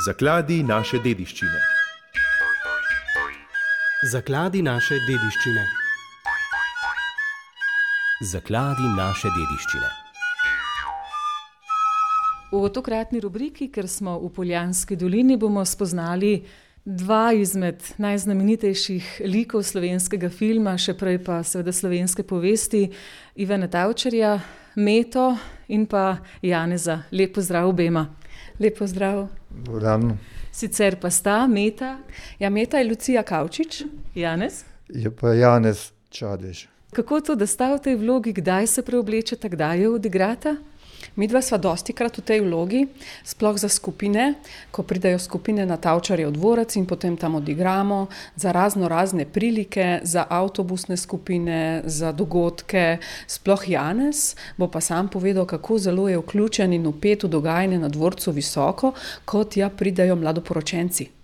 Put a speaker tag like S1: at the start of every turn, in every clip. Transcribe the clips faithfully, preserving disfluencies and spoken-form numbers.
S1: Zakladi naše dediščine.
S2: Zakladi naše dediščine.
S3: Zakladi naše dediščine.
S4: V tokratni rubriki, ker smo v Poljanski dolini, bomo spoznali dva izmed najznamenitejših likov slovenskega filma, še prej pa seveda slovenske povesti, Ivana Tavčarja, Meto in pa Janeza. Lep pozdrav obema.
S5: Lep pozdrav.
S6: Dobro.
S4: Sicer pa sta Meta.
S5: Ja, Meta je Lucija Kavčič.
S4: Janez?
S6: Je pa Janez Čadež.
S4: Kako to, da sta v tej vlogi, kdaj se preoblečeta, kdaj jo odigrata?
S5: Midva sva dostikrat v tej vlogi, sploh za skupine, ko pridejo skupine na Tavčarjev dvorec in potem tam odigramo, za razno razne prilike, za avtobusne skupine, za dogodke. Sploh Janez bo pa sam povedal, kako zelo je vključen in vpet v dogajanje na dvorcu Visoko, kot ja pridejo mladoporočenci.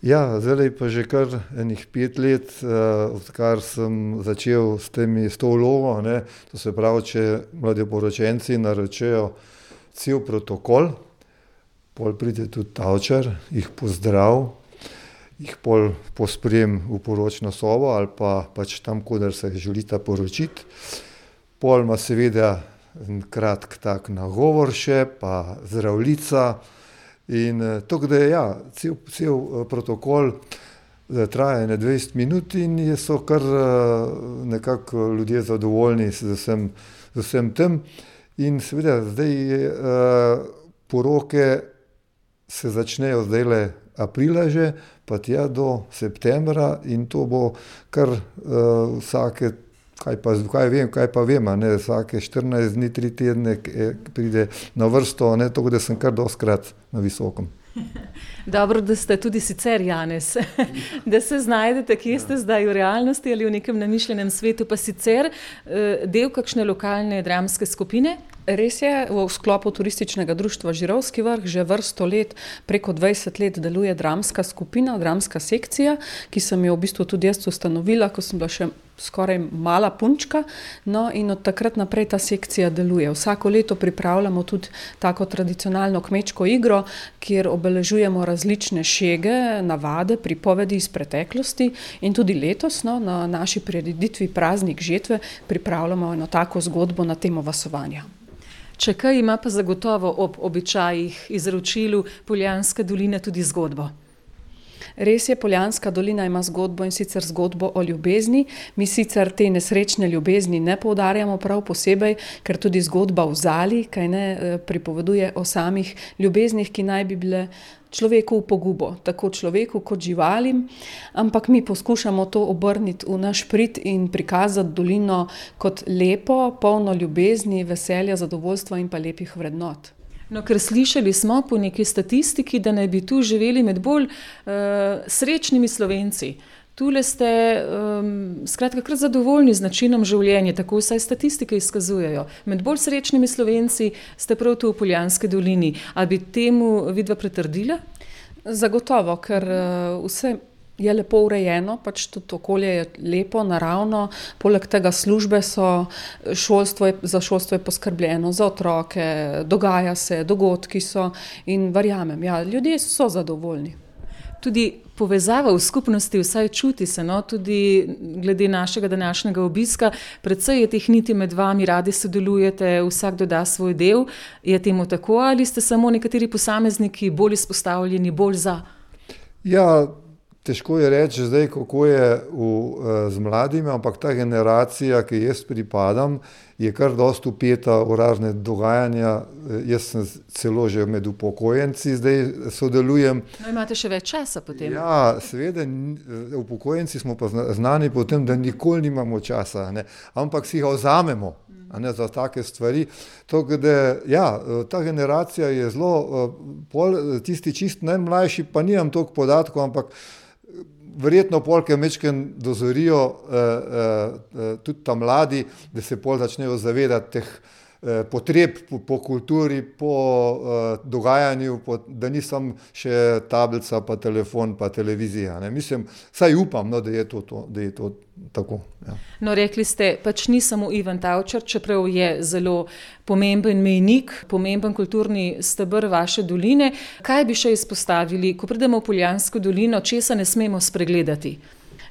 S6: Ja, zdaj pa že kar enih pet let, uh, odkar sem začel s temi, s to vlogo, ne, to se pravi, če mladoporočenci naročajo cel protokol, pol pride tudi Tavčar, jih pozdrav, jih pol posprem v poročno sobo ali pa pač tam, kodar se želita poročiti. Pol ima seveda kratk tak nagovor še, pa zdravljica. In to, da je ja, cel, cel protokol traja ne dvajset minut in so kar nekako ljudje zadovoljni z vsem, z vsem tem. In seveda zdaj poroke se začnejo zdajle aprila že, pa tja do septembra in to bo kar vsake Kaj pa, kaj vem, kaj pa vem, ne, vsake štirinajst dni, tri tedne pride na vrsto, ne, tako da sem kar dostkrat na Visokem.
S4: Dobro, da ste tudi sicer Janez, da se znajdete, kje ste zdaj v realnosti ali v nekem namišljenem svetu, pa sicer del kakšne lokalne dramske skupine?
S5: Res je, v sklopu turističnega društva Žirovski vrh že vrsto let, preko dvajset let deluje dramska skupina, dramska sekcija, ki sem jo v bistvu tudi jaz ustanovila, ko sem bila še skoraj mala punčka, no in od takrat naprej ta sekcija deluje. Vsako leto pripravljamo tudi tako tradicionalno kmečko igro, kjer obeležujemo različne šege, navade, pripovedi iz preteklosti in tudi letos no, na naši prireditvi Praznik žetve pripravljamo eno tako zgodbo na temo vasovanja.
S4: Če kaj ima pa zagotovo ob običajih izročilu Poljanska dolina tudi zgodbo?
S5: Res je, Poljanska dolina ima zgodbo in sicer zgodbo o ljubezni. Mi sicer te nesrečne ljubezni ne poudarjamo prav posebej, ker tudi zgodba v Zali, kaj ne, pripoveduje o samih ljubeznih, ki naj bi bile človeku v pogubo, tako človeku kot živalim, ampak mi poskušamo to obrniti v naš prid in prikazati dolino kot lepo, polno ljubezni, veselja, zadovoljstva in pa lepih vrednot.
S4: No, ker slišali smo po neki statistiki, da naj bi tu živeli med bolj uh, srečnimi Slovenci. Tule ste um, skratka kar zadovoljni z načinom življenja, tako vsaj statistike izkazujejo. Med bolj srečnimi Slovenci ste prav tu v Poljanski dolini. A bi temu vidva pritrdila?
S5: Zagotovo, ker uh, vse je lepo urejeno, pač tudi okolje je lepo, naravno, poleg tega službe so, šolstvo je, za šolstvo je poskrbljeno, za otroke, dogaja se, dogodki so in verjamem, ja, ljudje so zadovoljni.
S4: Tudi povezava v skupnosti vsaj čuti se, no, tudi glede našega današnjega obiska, precej je teh niti med vami, radi sodelujete, vsak doda svoj del. Je temu tako ali ste samo nekateri posamezniki bolj izpostavljeni, bolj za?
S6: Ja, težko je reči zdaj, kako je v, z mladimi, ampak ta generacija, ki jaz pripadam, je kar dosti vpeta v razne dogajanja. Jaz sem celo že med upokojenci, zdaj sodelujem.
S4: No, imate še več časa potem.
S6: Ja, seveda, upokojenci smo pa znani po tem, da nikoli nimamo časa, ne, ampak si ga vzamemo. A ne, za take stvari. Tako da, ja, ta generacija je zelo, pol, tisti čist najmlajši, pa nimam toliko podatkov, ampak verjetno polke mečken dozorijo eh, eh, tudi ta mladi, da se pol začnejo zavedati teh potreb po, po kulturi, po uh, dogajanju, po, da nisem še tablica, pa telefon, pa televizija. Ne. Mislim, saj upam, no, da je to, to, da je to tako. Ja.
S4: No, rekli ste, pač ni samo Ivan Tavčar, čeprav je zelo pomemben mejnik, pomemben kulturni steber vaše doline. Kaj bi še izpostavili, ko pridemo v Poljansko dolino, česa ne smemo spregledati?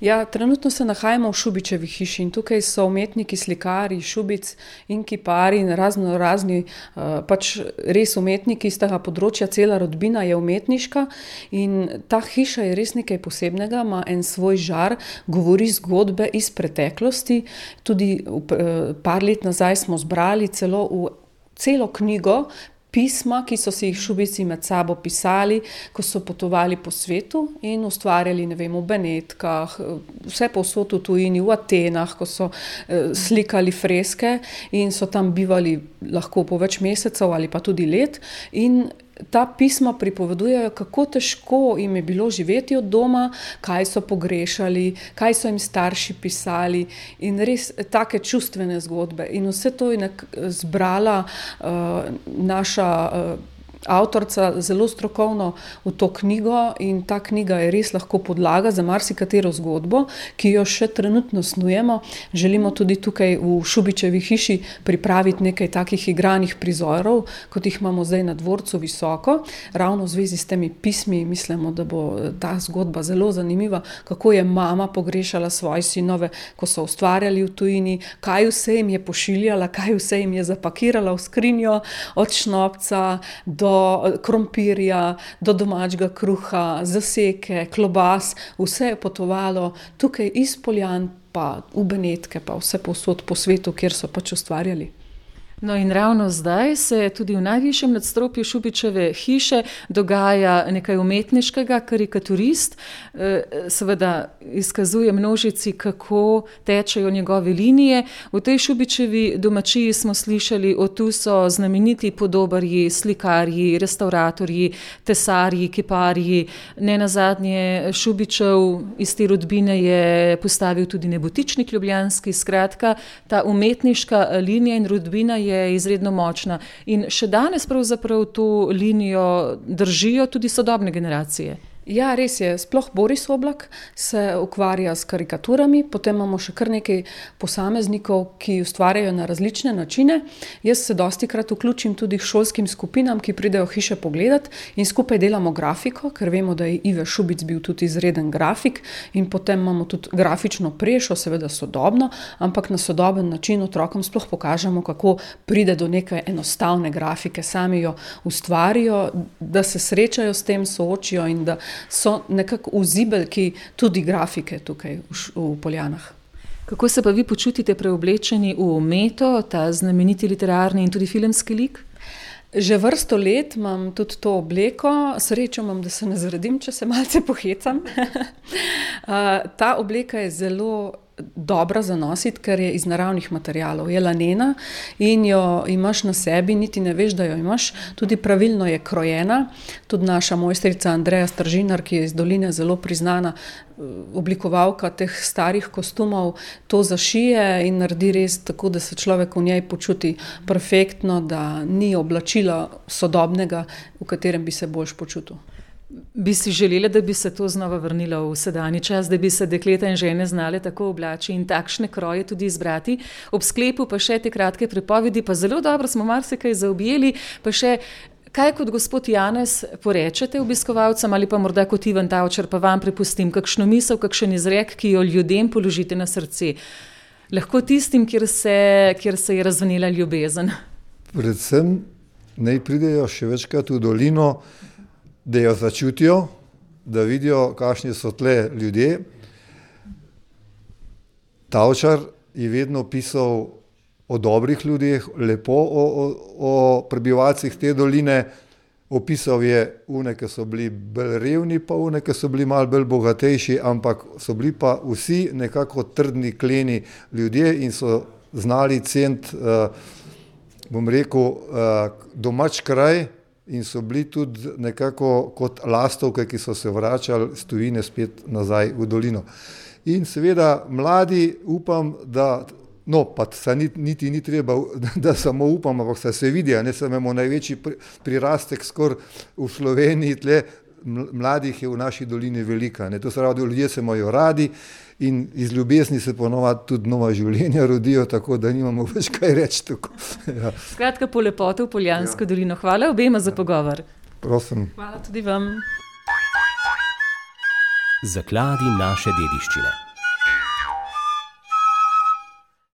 S5: Ja, trenutno se nahajamo v Šubičevi hiši in tukaj so umetniki, slikari, Šubic in kipari in razno razni, pač res umetniki iz tega področja, cela rodbina je umetniška in ta hiša je res nekaj posebnega, ima en svoj žar, govori zgodbe iz preteklosti, tudi par let nazaj smo zbrali celo v celo knjigo pisma, ki so si jih Šubici med sabo pisali, ko so potovali po svetu in ustvarjali, ne vem, v Benetkah, vse povsod v tujini, v Atenah, ko so eh, slikali freske in so tam bivali lahko po več mesecev ali pa tudi let in ta pisma pripovedujejo, kako težko jim je bilo živeti od doma, kaj so pogrešali, kaj so jim starši pisali in res take čustvene zgodbe. In vse to je zbrala uh, naša uh, avtorica zelo strokovno v to knjigo in ta knjiga je res lahko podlaga za marsikatero zgodbo, ki jo še trenutno snujemo. Želimo tudi tukaj v Šubičevi hiši pripraviti nekaj takih igranih prizorov, kot jih imamo zdaj na dvorcu visoko. Ravno v zvezi s temi pismi mislimo, da bo ta zgodba zelo zanimiva, kako je mama pogrešala svoje sinove, ko so ustvarjali v tujini, kaj vse jim je pošiljala, kaj vse jim je zapakirala v skrinjo, od šnopca do krompirja, do domačega kruha, zaseke, klobas, vse je potovalo tukaj iz Poljan, pa v Benetke, pa vse povsod po svetu, kjer so pač ustvarjali.
S4: No in ravno zdaj se tudi v najvišjem nadstropju Šubičeve hiše dogaja nekaj umetniškega, karikaturist seveda izkazuje množici, kako tečejo njegove linije. V tej Šubičevi domačiji smo slišali, o tu so znameniti podobarji, slikarji, restauratorji, tesarji, kiparji. Nenazadnje Šubičev iz te rodbine je postavil tudi Nebotičnik ljubljanski. Skratka, ta umetniška linija in rodbina je je izredno močna in še danes pravzaprav to linijo držijo tudi sodobne generacije.
S5: Ja, res je. Sploh Boris Oblak se ukvarja s karikaturami, potem imamo še kar nekaj posameznikov, ki ustvarjajo na različne načine. Jaz se dostikrat vključim tudi k šolskim skupinam, ki pridejo hiše pogledat in skupaj delamo grafiko, ker vemo, da je Ive Šubic bil tudi izreden grafik in potem imamo tudi grafično prešo, seveda sodobno, ampak na sodoben način otrokom sploh pokažemo, kako pride do neke enostavne grafike, sami jo ustvarijo, da se srečajo s tem, soočijo in da so nekako vzibelki tudi grafike tukaj v, v Poljanah.
S4: Kako se pa vi počutite preoblečeni v Meto, ta znameniti literarni in tudi filmski lik?
S5: Že vrsto let imam tudi to obleko, srečo imam, da se ne zredim, če se malce pohecam. Ta obleka je zelo dobra za nositi, ker je iz naravnih materialov, je lanena in jo imaš na sebi, niti ne veš, da jo imaš, tudi pravilno je krojena. Tudi naša mojstrica Andreja Stržinar, ki je iz doline zelo priznana oblikovalka teh starih kostumov, to zašije in naredi res tako, da se človek v njej počuti perfektno, da ni oblačila sodobnega, v katerem bi se boljš počutil.
S4: Bi si želela, da bi se to znova vrnilo v sedanji čas, da bi se dekleta in žene znale tako oblači in takšne kroje tudi izbrati. Ob sklepu pa še te kratke pripovedi, pa zelo dobro smo marsikaj zaobjeli, pa še kaj kot gospod Janez porečete obiskovalcem ali pa morda kot Ivan Tavčar, pa vam prepustim kakšno misel, kakšen izrek, ki jo ljudem položite na srce. Lahko tistim, kjer se, kjer se je razvnela ljubezen.
S6: Predvsem naj pridejo še večkrat v dolino, da jo začutijo, da vidijo, kakšni so tle ljudje. Tavčar je vedno pisal o dobrih ljudeh, lepo o, o, o prebivalcih te doline. Opisal je une, ki so bili bolj revni, pa une, ki so bili malo bolj bogatejši, ampak so bili pa vsi nekako trdni, kleni ljudje in so znali ceniti, uh, bom rekel, uh, domač kraj, in so bili tudi nekako kot lastovke, ki so se vračali s tujine spet nazaj v dolino. In seveda mladi upam, da No, pa se niti, niti ni treba, da samo upamo, ampak se, se vidi, ne samo imamo največji prirastek skoraj v Sloveniji, tle mladih je v naši dolini velika. Ne. To se pravi, ljudje se imajo radi in iz ljubezni se ponovadi tudi nova življenja rodijo, tako da nimamo več kaj reči. Ja.
S4: Skratka, po lepote v Poljansko ja. dolino. Hvala obema za ja. pogovor.
S6: Prosim.
S5: Hvala tudi vam.
S3: Zakladi naše dediščine.